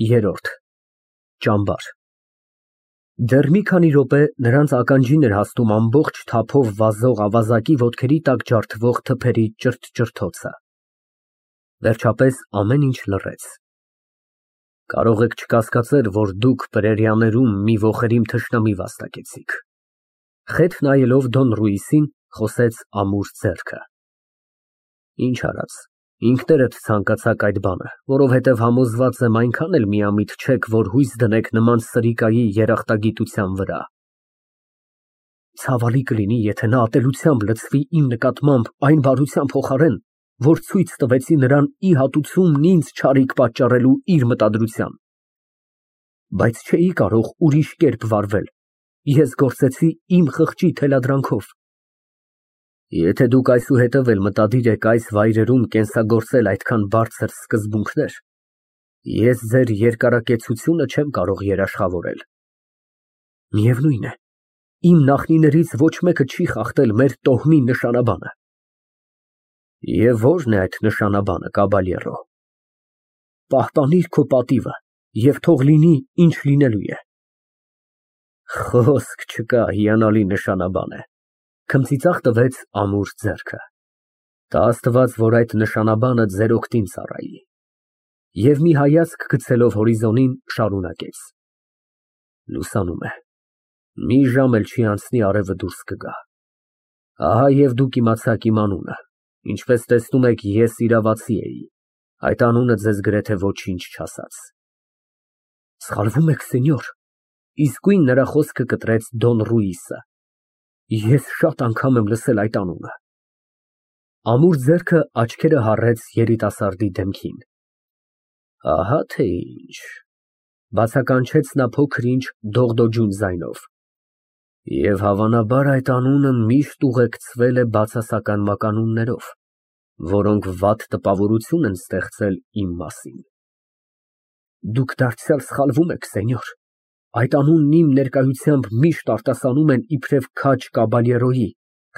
Երրորդ ճամբար Դեռ մի քանի րոպե նրանց ականջին էր հասնում ամբողջ թափով վազող ավազակի ոտքերի տակ ջարդվող թփերի ճրթ֊ճրթոցը։ Վերջապես ամեն ինչ լռեց։ Կարող եք չկասկածել, որ դուք պրերիաներում մի ոխերիմ թշնամի վաստակեցիք։ Խեթ նայելով Դոն Ռուիսին, խոսեց ամուր ձեռքը։ Ինչ արած, ինքներդ ցանկացաք այդ բանը, որովհետև համոզված եմ այնքան էլ միամիտ չեք, որ հույս դնեք նման սրիկայի երախտագիտության վրա։ Ցավալի կլինի, եթե նա ատելությամբ լցվի իմ նկատմամբ այն բարության փոխարեն, որ ցույց տվեցի նրան ի հատուցումն ինձ չարիք պատճառելու իր մտադրության։ Բայց չէի կարող ուրիշ կերպ վարվել, ես գործեցի իմ խղճի թելադրանքով։ Եթե դուք այսուհետև էլ մտադիր եք այս վայրերում կենսագործել այդքան բարձր սկզբունքներ, ես ձեր երկարակեցությունը չեմ կարող երաշխավորել։ Միևնույն է, իմ նախնիներից ոչ մեկը չի խախտել մեր տոհմի նշանաբանը։ Եվ ո՞րն է այդ նշանաբանը, կաբալյերո։ Պահպանիր քո պատիվը և թող լինի, ինչ լինելու է։ Խոսք չկա, հիանալի նշանաբան է, քմծիծաղ տվեց ամուր ձեռքը։ Տա Աստված, որ այդ նշանաբանը ձեր օգտին ծառայի։ Եվ մի հայացք գցելով հորիզոնին, շարունակեց. Լուսանում է, մի ժամ էլ չի անցնի արևը դուրս կգա։ Ահա և դուք իմացաք իմ անունը, ինչպես տեսնում եք, ես իրավացի էի, այդ անունը ձեզ գրեթե ոչինչ չասաց։ Սխալվում եք, սենյոր, իսկույն նրա խոսքը կտրեց Դոն Ռուիսը։ Ես շատ անգամ եմ լսել այդ անունը։ Ամուր ձեռքը աչքերը հառեց երիտասարդի դեմքին։ Ահա թե ինչ, բացականչեց նա փոքր-ինչ դողդոջուն ձայնով։ Եվ հավանաբար այդ անունը միշտ ուղեկցվել է բացասական մականուններով, որոնք վատ տպավորություն են ստեղծել իմ մասին։ Դուք դարձյալ սխալվում եք, սենյոր, այդ անունն իմ ներկայությամբ միշտ արտասանում են իբրև քաջ կաբալյերոյի,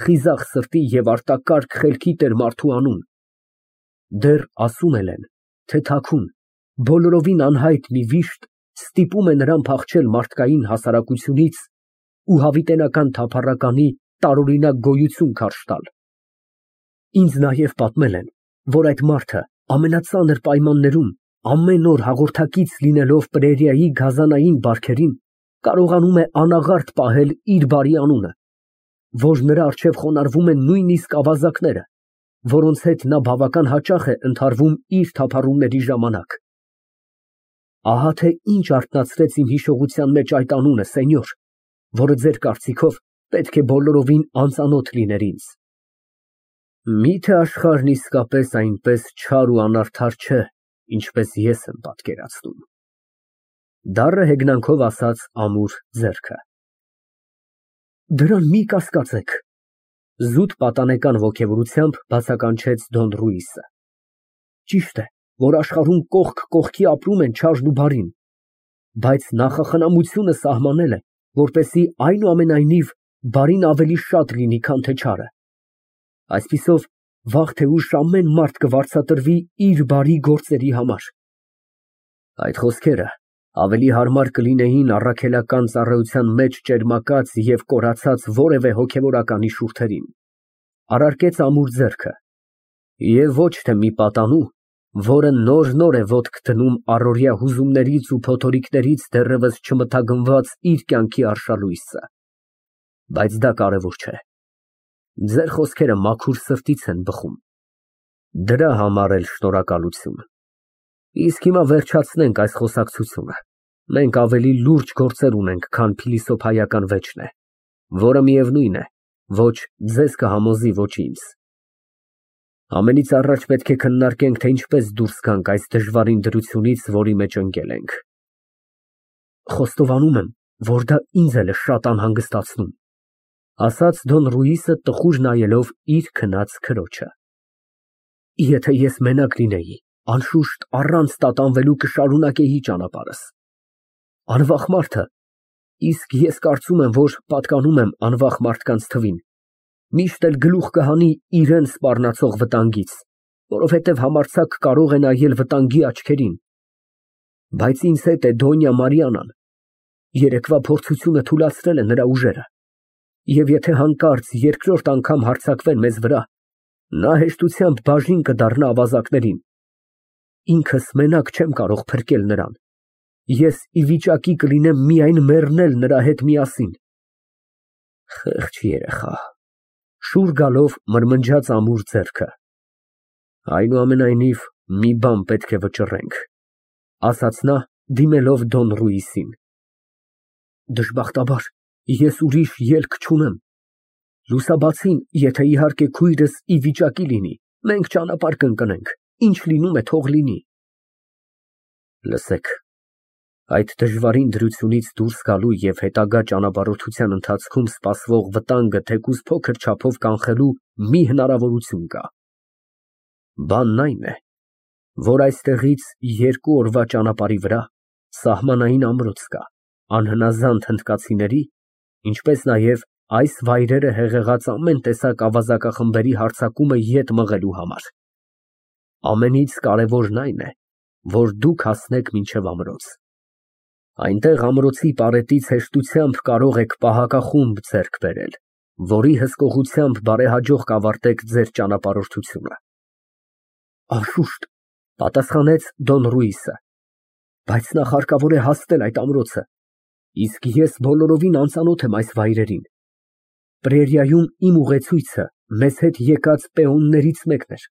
խիզախ սրտի և արտակարգ խելքի տեր մարդու անուն։ Դեռ ասում են, թե թաքուն, բոլորովին անհայտ մի վիշտ ստիպում է նրան փախչել մարդկային հասարակությունից ու հավիտենական թափառականի տարօրինակ գոյություն քարշ տալ։ Ինձ նաև պատմել են, որ այդ մարդը ամենածանր պայմաններում, ամեն օր հաղորդակից լինելով պրերիայի գազանային բարքերին, կարողանում է անաղարտ պահել իր բարի անունը, որ նրա առջև խոնարհվում են նույնիսկ ավազակները, որոնց հետ նա բավական հաճախ է ընդհարվում իր թափառումների ժամանակ։ Ահա թե ինչ արթնացրեց իմ հիշողության մեջ այդ անունը, սենյոր, որը ձեր կարծիքով պետք է բոլորովին անծանոթ լիներ ինձ։ Միթե աշխարհն իսկապես այնպես չար ու անարդար չէ, ինչպես ես եմ պատկերացնում։ Դառը հեգնանքով ասաց ամուր ձեռքը։ Դրան մի կասկածեք, զուտ պատանեկան ոգևորությամբ բացականչեց Դոն Ռուիսը։ Ճիշտ է, որ աշխարհում կողք կողքի ապրում են չարն ու բարին, բայց նախախնամությունը սահմանել է, որպեսզի այնուամենայնիվ բարին ավելի շատ լինի, քան թե չարը։ Այսպիսով, վաղ թե ուշ ամեն մարդ կվարձատրվի իր բարի գործերի համար։ Այդ խոսքերը ավելի հարմար կլինեին առաքելական ծառայության մեջ ճերմակած և կորացած որևէ հոգևորականի շուրթերին, առարկեց ամուր ձեռքը, և ոչ թե մի պատանու, որը նոր է ոտք դնում առօրյա հուզումներից ու փոթորիկներից դեռևս չմթագնված իր կյանքի արշալույսը։ Բայց դա կարևոր չէ։ Ձեր խոսքերը մաքուր սրտից են բխում։ Դրա համար էլ շնորհակալություն։ Իսկ հիմա վերջացնենք այս խոսակցությունը։ Մենք ավելի լուրջ գործեր ունենք, քան փիլիսոփայական վեճն է, որը միևնույն է, ոչ ձեզ կհամոզի, ոչ ինձ։ Ամենից առաջ պետք է քննարկենք, թե ինչպես դուրս գանք այս դժվարին դրությունից, որի մեջ ընկել ենք։ Խոստովանում եմ, որ դա ինձ էլ է շատ անհանգստացնում, ասաց Դոն Ռուիսը տխուր նայելով իր քնած քրոջը։ Եթե ես մենակ լինեի, անշուշտ առանց տատանվելու կշարունակեի ճանապարհս։ Անվախ մարդը, իսկ ես կարծում եմ, որ պատկանում եմ անվախ մարդկանց թվին, միշտ էլ գլուխ կհանի իրան սպառնացող վտանգից, որովհետև համարձակ կարող է նայել վտանգի աչքերին։ Բայց ինձ հետ է Դոնյա Մարիանան։ Երեկվա փորձությունը թուլացրել է նրա ուժերը։ Եվ եթե հանկարծ երկրորդ անգամ հարձակվեն մեզ վրա, նա հեշտությամբ բաժին կդառնա ավազակներին։ Ինքս մենակ չեմ կարող փրկել նրան։ Ես ի վիճակի կլինեմ միայն մեռնել նրա հետ միասին։ Խեղճ երեխա, շուռ գալով մրմնջաց ամուր ձեռքը։ Այնուամենայնիվ, մի բան պետք է վճռենք, ասաց նա, դիմելով Դոն Ռուիսին։ Դժբախտաբար, ես ուրիշ ելք չունեմ։ Լուսաբացին, եթե իհարկե քույրս ի վիճակի լինի, մենք ճանապարհ կընկնենք, ինչ լինում է թող լինի։ Լսեք, այդ դժվարին դրությունից դուրս գալու և հետագա ճանապարհորդության ընթացքում սպասվող վտանգը թեկուզ փոքր չափով կանխելու մի հնարավորություն կա։ Բանն այն է, որ այստեղից 2 օրվա ճանապարհի վրա սահմանային ամրոց կա, անհնազանդ հնդկացիների, ինչպես նաև այս վայրերը հեղեղած ամեն տեսակ ավազակախմբերի հարձակումը ետ մղելու համար։ Ամենից կարևորն այն է, որ դուք հասնեք մինչև ամրոց։ Այնտեղ ամրոցի պարետից հեշտությամբ կարող եք պահակախումբ ձեռք բերել, որի հսկողությամբ բարեհաջող կավարտեք ձեր ճանապարհորդությունը։ Անշուշտ, պատասխանեց Դոն Ռուիսը, բայց նախ հարկավոր է հասնել այդ ամրոցը, իսկ ես բոլորովին անծանոթ եմ այս վայրերին։ Պրերիայում իմ ուղեցույցը մեզ հետ եկած պեոններից մեկն էր։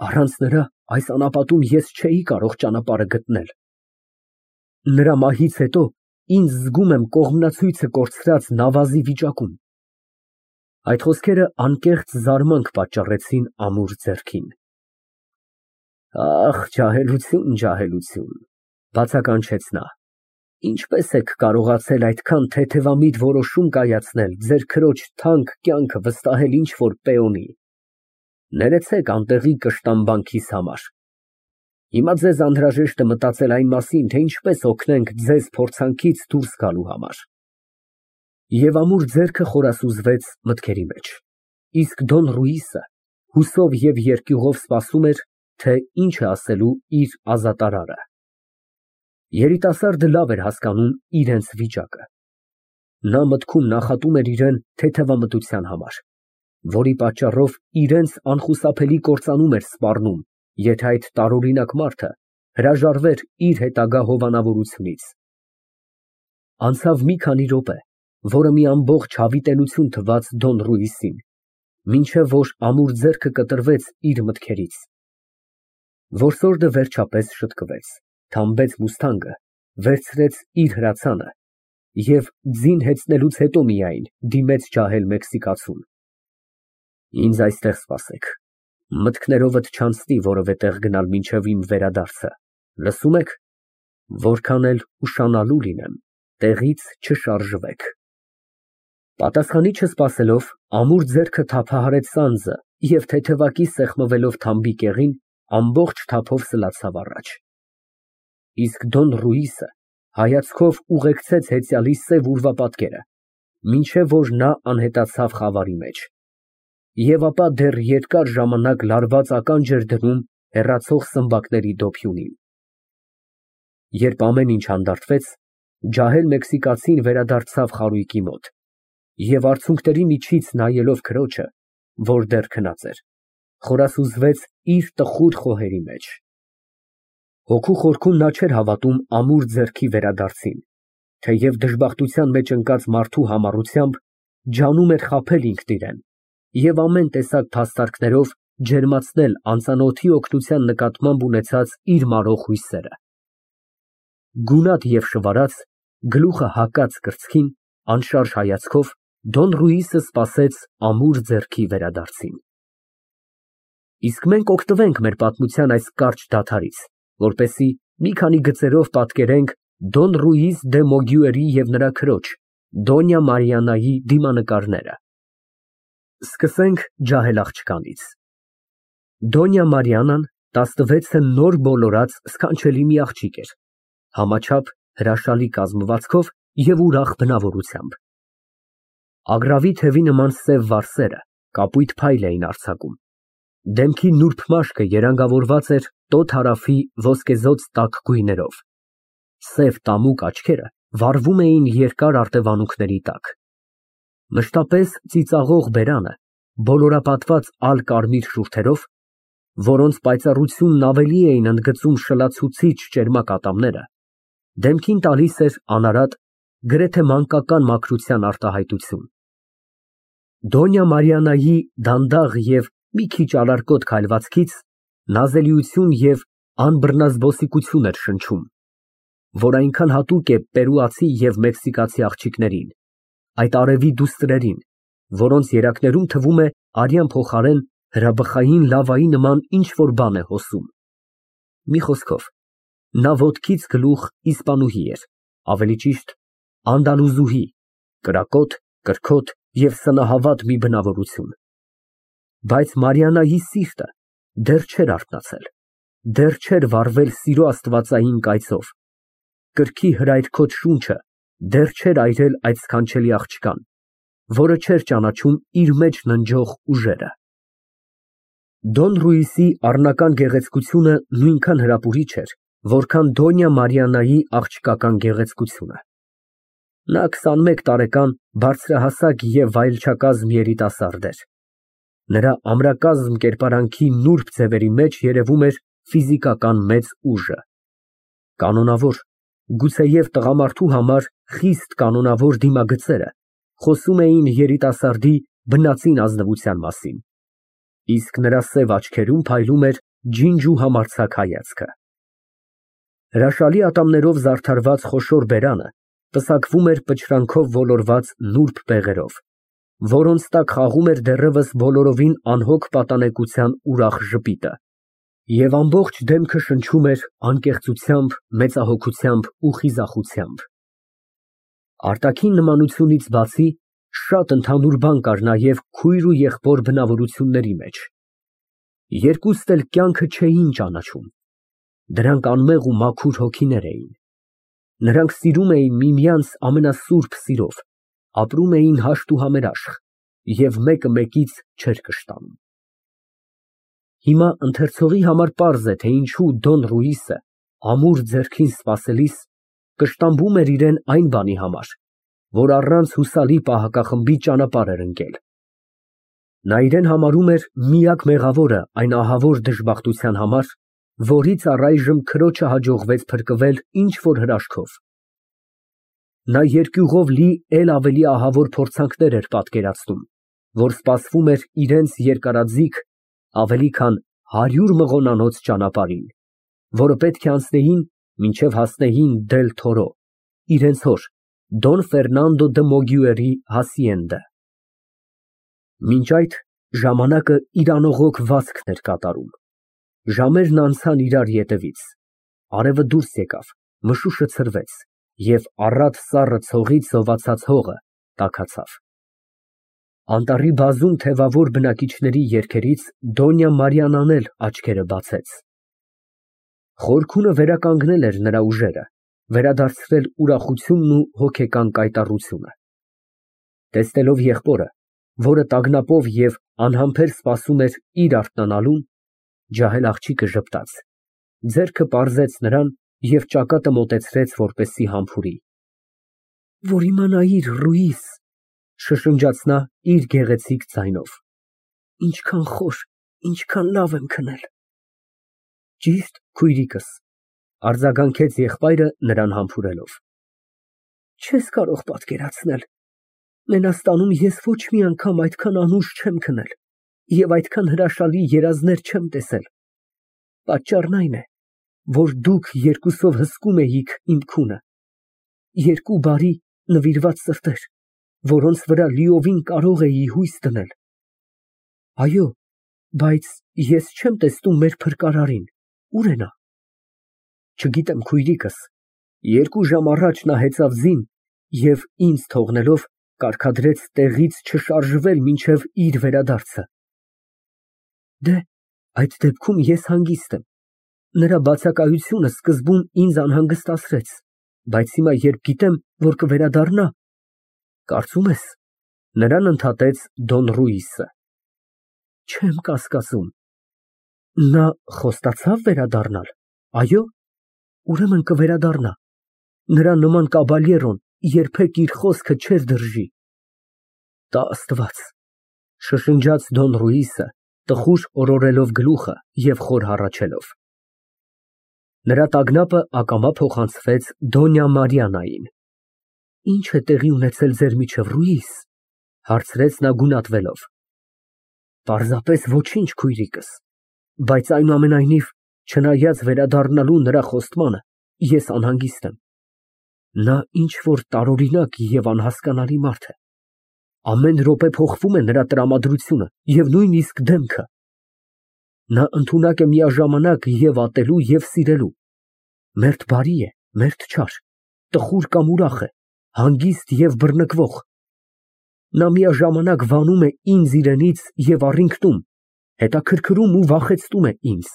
Առանց նրա այս անապատում ես չէի կարող ճանապարհը գտնել։ Նրա մահից հետո ինձ զգում եմ կողմնացույցը կորցրած նավազի վիճակում։ Այդ խոսքերը անկեղծ զարմանք պատճառեցին ամուր ձեռքին։ Ախ, ջահելություն, ջահելություն, բացականչեց նա։ Ինչպես եք կարողացել այդքան թեթևամիտ որոշում կայացնել ձեր քրոջ թանկ կյանքը վստահել ինչ֊որ պեոնի։ Ներեցեք անտեղի կշտամբանքիս համար։ Հիմա ձեզ անհրաժեշտ է մտածել այն մասին, թե ինչպես օգնենք ձեզ փորձանքից դուրս գալու համար։ Եվ ամուր ձեռքը խորասուզվեց մտքերի մեջ, իսկ Դոն Ռուիսը հուսով և երկյուղով սպասում էր, թե ինչ է ասելու իր ազատարարը։ Երիտասարդը լավ էր հասկանում իրենց վիճակը։ Նա մտքում նախատում էր իրեն թեթևամտության համար, որի պատճառով իրենց անխուսափելի կործանում էր սպառնում, եթե այդ տարօրինակ մարդը հրաժարվեր իր հետագա հովանավորությունից։ Անցավ մի քանի րոպե, որը մի ամբողջ հավիտենություն թվաց Դոն Ռուիսին, մինչև որ ամուր ձեռքը կտրվեց իր մտքերից։ Որսորդը վերջապես շտկվեց, թամբեց մուստանգը, վերցրեց իր հրացանը և ձին հեծնելուց հետո միայն դիմեց ջահել մեքսիկացուն։ Ինձ այստեղ սպասեք, մտքներովդ չանցնի որևէ տեղ գնալ մինչև իմ վերադարձը, լսում եք, որքան էլ ուշանալու լինեմ, տեղից չշարժվեք։ Պատասխանի չսպասելով, ամուր ձեռքը թափահարեց սանձը և թեթևակի սեղմվելով թամբի կեղին, ամբողջ թափով սլացավ առաջ։ Իսկ Դոն Ռուիսը հայացքով ուղեկցեց հեծյալի սև ուրվապատկերը, մինչև որ նա անհետացավ խավարի մեջ, և ապա դեռ երկար ժամանակ լարված ականջ էր դնում հեռացող սմբակների դոփյունին։ Երբ ամեն ինչ հանդարտվեց, ջահել մեքսիկացին վերադարձավ խարույկի մոտ և արցունքների միջից նայելով քրոջը, որ դեռ քնած էր, խորասուզվեց իր տխուր խոհերի մեջ։ Հոգու խորքում նա չէր հավատում ամուր ձեռքի վերադարձին, թեև դժբախտության մեջ ընկած մարդու համառությամբ ջանում էր խաբել ինքն իրեն և ամեն տեսակ փաստարկներով ջերմացնել անծանոթի օգնության նկատմամբ ունեցած իր մարող հույսերը։ Գունատ և շվարած, գլուխը հակած կրծքին, անշարժ հայացքով Դոն Ռուիսը սպասեց ամուր ձեռքի վերադարձին։ Իսկ մենք օգտվենք մեր պատմության այս կարճ դադարից, որպեսզի մի քանի գծերով պատկերենք Դոն Ռուիս դե Մոգյուերի և նրա քրոջ Դոնյա Մարիաննայի դիմանկարները։ Սկսենք ջահել աղջկանից։ Դոնյա Մարիաննան 16-ը նոր բոլորած սքանչելի մի աղջիկ էր, համաչափ, հրաշալի կազմվածքով և ուրախ բնավորությամբ։ Ագռավի թևի նման սև վարսերը կապույտ փայլ էին արձակում։ Դեմքի նուրբ մաշկը երանգավորված էր տոտ հարավի ոսկեզօծ տաք գույներով, Սև տամուկ աչքերը վառվում էին երկար արտևանունքների տակ։ Մշտապես ծիծաղող բերանը, բոլորապատված ալ֊կարմիր շուրթերով, որոնց պայծառությունն ավելի էին ընդգծում շլացուցիչ ճերմակ ատամները, դեմքին տալիս էր անարատ, գրեթե մանկական մաքրության արտահայտություն։ Դոնյա Մարիաննայի դանդաղ և մի քիչ ալարկոտ քայլվածքից նազելիություն և անբռնազբոսիկություն էր շնչում, որ այնքան հատուկ է պերուացի և մեքսիկացի աղջիկներին, այդ արևի դուստրերին, որոնց երակներում թվում է արյան փոխարեն հրաբխային լավայի նման ինչ֊որ բան է հոսում։ Մի խոսքով, նա ոտքից գլուխ իսպանուհի էր, ավելի ճիշտ անդալուզուհի, կրակոտ, կրքոտ և սնահավատ մի բնավորություն։ Բայց Մարիաննայի սիրտը դեռ չէր արթնացել, դեռ չէր վառվել սիրո աստվածային կայծով, կրքի հրայրքոտ շունչը դեռ չէր այրել այդ սքանչելի աղջկան, որը չէր ճանաչում իր մեջ ննջող ուժերը։ Դոն Ռուիսի առնական գեղեցկությունը նույնքան հրապուրիչ էր, որքան Դոնյա Մարիաննայի աղջկական գեղեցկությունը։ Նա 21 տարեկան բարձրահասակ և վայելչակազմ երիտասարդ էր։ Նրա ամրակազմ կերպարանքի նուրբ ձևերի մեջ երևում էր ֆիզիկական մեծ ուժը։ Կանոնավոր, գուցեև տղամարդու համար խիստ կանոնավոր դիմագծերը խոսում էին երիտասարդի բնածին ազնվության մասին, իսկ նրա սև աչքերում փայլում էր ջինջ ու համարձակ հայացքը։ Հրաշալի ատամներով զարդարված խոշոր բերանը պսակվում էր պչրանքով ոլորված նուրբ բեղերով, որոնց տակ խաղում էր դեռևս բոլորովին անհոգ պատանեկության ուրախ ժպիտը, և ամբողջ դեմքը շնչում էր անկեղծությամբ, մեծահոգությամբ ու խիզախությամբ։ Արտաքին նմանությունից բացի, շատ ընդհանուր բան կար նաև քույր ու եղբոր բնավորությունների մեջ։ Երկուստ էլ կյանքը չէին ճանաչում, դրանք անմեղ ու մաքուր հոգիներ էին։ Նրանք սիրում էին միմյանց ամենասուրբ սիրով, ապրում էին հաշտ ու համերաշխ և մեկը մեկից չէր կշտանում։ Հիմա ընթերցողի համար պարզ է, թե ինչու Դոն Ռուիսը, ամուր ձեռքին սպասելիս, կշտամբում էր իրան այն բանի համար, որ առանց հուսալի պահակախմբի ճանապարհ էր ընկել։ Նա իրան համարում էր միակ մեղավորը այն ահավոր դժբախտության համար, որից առայժմ քրոջը հաջողվեց փրկվել ինչ֊որ հրաշքով։ Նա երկյուղով լի էլ ավելի ահավոր փորձանքներ էր պատկերացնում, որ սպասվում էր իրենց երկարաձիգ, ավելի քան 100 մղոնանոց ճանապարհին, որը պետք է անցնեին, մինչև հասնեին Դել Թորո, իրենց հոր Դոն Ֆերնանդո դը Մոգյուերի հասիենդը։ Մինչ այդ ժամանակը իր անողոք վազքն էր կատարում։ Ժամերն անցան իրար ետևից, արևը դուրս եկավ, մշուշը ցրվեց, և առատ սառը ցողից զովացած հողը տաքացավ։ Անտառի բազում թևավոր բնակիչների երգերից Դոնյա Մարիաննան էլ աչքերը բացեց։ Խորքունը վերականգնել էր նրա ուժերը, վերադարձրել ուրախությունն ու հոգեկան կայտառությունը։ Տեսնելով եղբորը, որը տագնապով և անհամբեր սպասում էր իր արթնանալուն, ջահել աղջիկը ժպտաց, ձեռքը պարզեց նրան և ճակատը մոտեցրեց, որպեսզի համբուրի։ Որ իմանայիր, Ռուիս, շշնջաց նա իր գեղեցիկ ձայնով, ինչքան խոր, ինչքան լավ եմ քնել։ Ճիշտ, քույրիկս, արձագանքեց եղբայրը նրան համբուրելով։ Չես կարող պատկերացնել, Մենաստանում ես ոչ մի անգամ այդքան անուշ չեմ քնել և այդքան հրաշալի երազներ չեմ տեսել։ Պատճառն այն է, որ դուք երկուսով հսկում էիք իմ քունը, երկու բարի, նվիրված սրտեր, որոնց վրա լիովին կարող էի հույս դնել։ Այո, բայց ես չեմ տեսնում մեր փրկարարին, ուր է նա։ Չգիտեմ, քույրիկս, 2 ժամ առաջ նա հեծավ ձին և ինձ թողնելով կարգադրեց տեղից չշարժվել մինչև իր վերադարձը։ Դե, այդ դեպքում ես հանգիստ եմ։ Նրա բացակայությունը սկզբում ինձ անհանգստացրեց, բայց հիմա, երբ գիտեմ, որ կվերադառնա, կարծում ես, նրան ընդհատեց Դոն Ռուիսը։ Չեմ կասկածում։ Նա խոստացավ վերադառնալ, այո՞։ Ուրեմն կվերադառնա։ Նրա նման կաբալյերոն երբեք իր խոսքը չէր դրժի։ Տա Աստված, շշնջաց Դոն Ռուիսը, տխուր օրորելով գլուխը և խոր հառաչելով։ Նրա տագնապը ակամա փոխանցվեց Դոնյա Մարիաննային։ Ինչ է տեղի ունեցել ձեր միջև, Ռուիս, հարցրեց նա գունատվելով։ Պարզապես ոչինչ, քույրիկս, բայց այնուամենայնիվ, չնայած վերադառնալու նրա խոստմանը, ես անհանգիստ եմ։ Նա ինչ որ տարօրինակ և անհասկանալի մարդ է։ Ամեն րոպե փոխվում է նրա տրամադրությունը և նույնիսկ դեմքը։ Նա ընդունակ է միաժամանակ և ատելու, և սիրելու։ Մերթ բարի է, մերթ չար, տխուր կամ ուրախ է, հանգիստ և բռնկվող։ Նա միաժամանակ վանում է ինձ իրենից և առինքնում, հետաքրքրում ու վախեցնում է ինձ։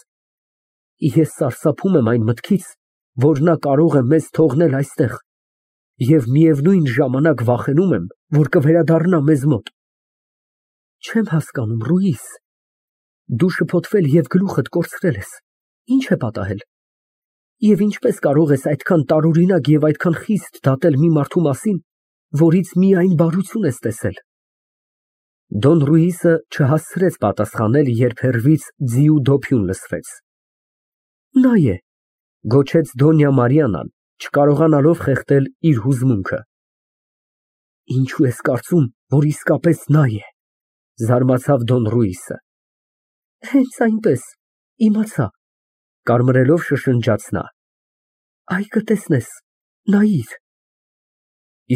Ես սարսափում եմ այն մտքից, որ նա կարող է մեզ թողնել այստեղ, և միևնույն ժամանակ վախենում եմ, որ կվերադառնա մեզ մոտ։ Չեմ հասկանում, Ռուիս, դու շփոթվել և գլուխդ կորցրել ես, ինչ է պատահել։ Եվ ինչպես կարող ես այդքան տարօրինակ և այդքան խիստ դատել մի մարդու մասին, որից միայն բարություն ես տեսել։ Դոն Ռուիսը չհասցրեց պատասխանել, երբ հեռվից ձիու դոփյուն լսվեց։ Նա է, գոչեց Դոնյա Մարիաննան, չկարողանալով խեղդել իր հուզմունքը։ Ինչու ես կարծում, որ իսկապես նա է, զարմացավ Դոն Ռուիսը։ Հենց այնպես, իմացա, կարմրելով շշնջաց նա։ Այ կտեսնես, նայիր։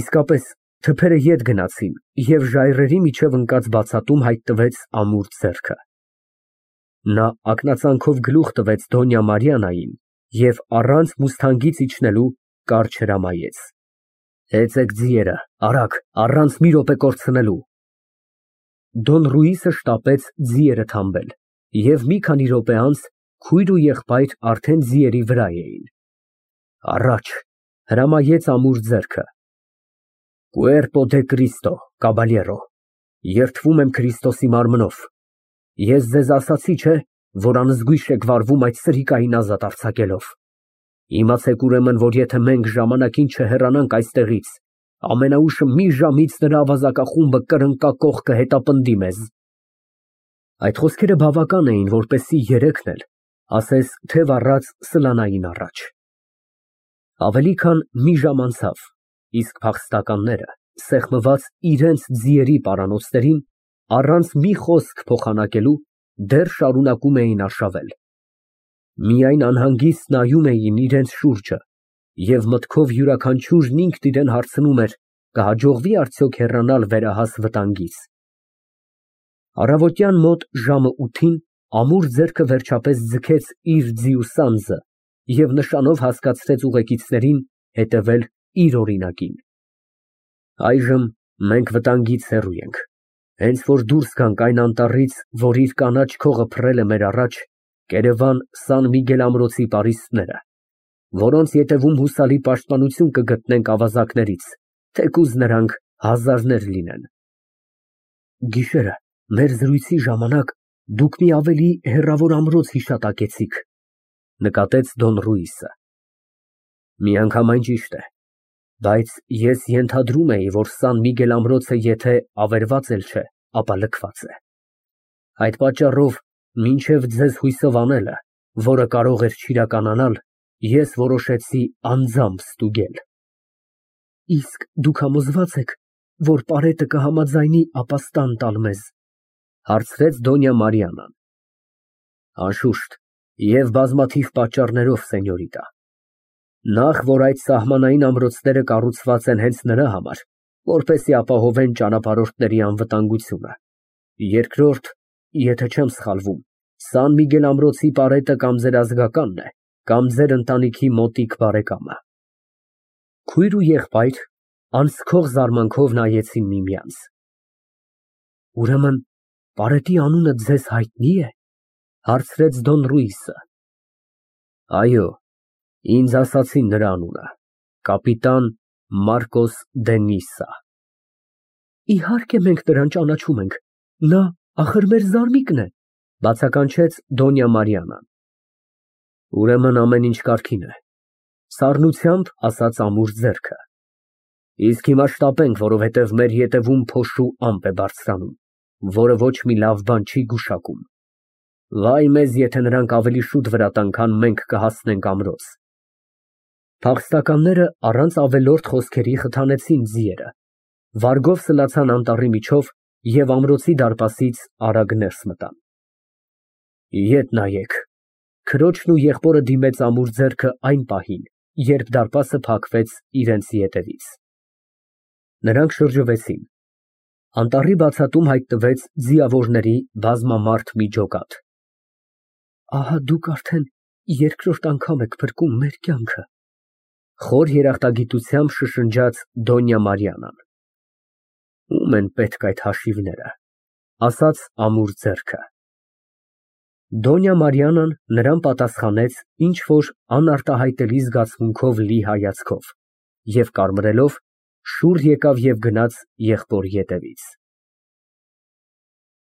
Իսկապես, թփերը ետ գնացին, և ժայռերի միջև ընկած բացատում հայտնվեց ամուր ձեռքը։ Նա ակնածանքով գլուխ տվեց Դոնյա Մարիաննային և առանց մուսթանգից իջնելու կարճ հրամայեց. Հեծեք ձիերը, արագ, առանց մի րոպե կորցնելու։ Դոն Ռուիսը շտապեց ձիերը թամբել, և մի քանի րոպե անց քույր ու եղբայր արդեն ձիերի վրա էին։ Առաջ, հրամայեց ամուր ձեռքը։ Cuerpo de Cristo, caballero, երդվում եմ Քրիստոսի մարմնով։ Ես ձեզ ասացի, չէ՞, որ անզգույշ եք վարվում այդ սրիկային ազատ արձակելով։ Իմացեք ուրեմն, որ եթե մենք ժամանակին չհեռանանք այստեղից, ամենաուշը մի ժամից նրա ավազակախումբը կրնկակոխ կհետապնդի մեզ։ Այդ խոսքերը բավական էին, որպեսզի երեքն էլ ասես թև առած սլանային առաջ։ Ավելի քան մի ժամ անցավ, իսկ փախստականները, սեղմված իրենց ձիերի պարանոցներին, առանց մի խոսք փոխանակելու, դեռ շարունակում էին արշավել։ Միայն անհանգիստ նայում էին իրենց շուրջը և մտքով յուրաքանչյուրն ինքն իրան հարցնում էր. կհաջողվի արդյոք հեռանալ վերահաս վտանգից։ Առավոտյան մոտ ժամը 8-ին ամուր ձեռքը վերջապես ձգեց իր ձիու սանձը և նշանով հասկացրեց ուղեկիցներին հետևել իր օրինակին։ Այժմ մենք վտանգից հեռու ենք։ Հենց որ դուրս գանք այն անտառից, որ իր կանաչ քողը փռել է մեր առաջ, կերևան Սան Միգել ամրոցի պարիսպները, որոնց ետևում հուսալի պաշտպանություն կգտնենք ավազակներից, թեկուզ նրանք հազարներ լինեն։ Գիշերը, մեր զրույցի ժամանակ, դուք մի ավելի հեռավոր ամրոց հիշատակեցիք, նկատեց Դոն Ռուիսը։ Միանգամայն ճիշտ է, բայց ես ենթադրում էի, որ Սան Միգել ամրոցը եթե ավերված էլ չէ, ապա լքված է։ Այդ պատճառով, մինչև ձեզ հույսով անելը, որը կարող էր չիրականանալ, ես որոշեցի անձամբ ստուգել։ Իսկ դուք համոզվա՞ծ եք, որ պարետը կհամաձայնի ապաստան տալ մեզ, հարցրեց Դոնյա Մարիաննան։ Անշուշտ, և բազմաթիվ պատճառներով, սենյորիտա։ Նախ, որ այդ սահմանային ամրոցները կառուցված են հենց նրա համար, որպեսզի ապահովեն ճանապարհորդների անվտանգությունը։ Երկրորդ, եթե չեմ սխալվում, Սան Միգել ամրոցի պարետը կամ ձեր ազգականն է, կամ ձեր ընտանիքի մոտիկ բարեկամը։ Քույր ու եղբայր անցքող զարմանքով նայեցին միմյանց։ Ուրեմն, պարետի անունը ձեզ հայտնի է, հարցրեց Դոն Ռուիսը։ Այո, ինձ ասացին նրա անունը, կապիտան Մարկոս դե Նիսա։ Իհարկե մենք նրան ճանաչում ենք, նա ախր մեր զարմիկն է, բացականչեց Դոնյա Մարիաննան։ Ուրեմն ամեն ինչ կարգին է։ Սառնությամբ ասաց ամուր ձեռքը։ Իսկ հիմա շտապենք, որովհետև մեր ետևում փոշու ամպ է բարձրանում, որը ոչ մի լավ բան չի գուշակում։ Վայ մեզ, եթե նրանք ավելի շուտ վրա տան, քան մենք կհասնենք ամրոց։ Փախստականները առանց ավելորդ խոսքերի խթանեցին ձիերը, վարգով սլացան անտառի միջով և ամրոցի դարպասից արագ ներս մտան։ Ետ նայեք։ Քրոջն ու եղբորը դիմեց ամուր ձեռքը այն պահին, երբ դարպասը փակվեց իրենց ետևից։ Նրանք շրջվեցին։ Անտառի բացատում հայտնվեց ձիավորների բազմամարդ մի ջոկատ։ Ահա դուք արդեն երկրորդ անգամ եք փրկում մեր կյանքը, խոր երախտագիտությամբ շշնջաց Դոնյա Մարիանան։ Ում են պետք այդ հաշիվները, ասաց ամուր ձեռքը։ Դոնյա Մարիանան նրան պատասխանեց ինչ֊որ անարտահայտելի զգացմունքով լի հայացքով և կարմրելով շուռ եկավ և գնաց եղբորի ետևից։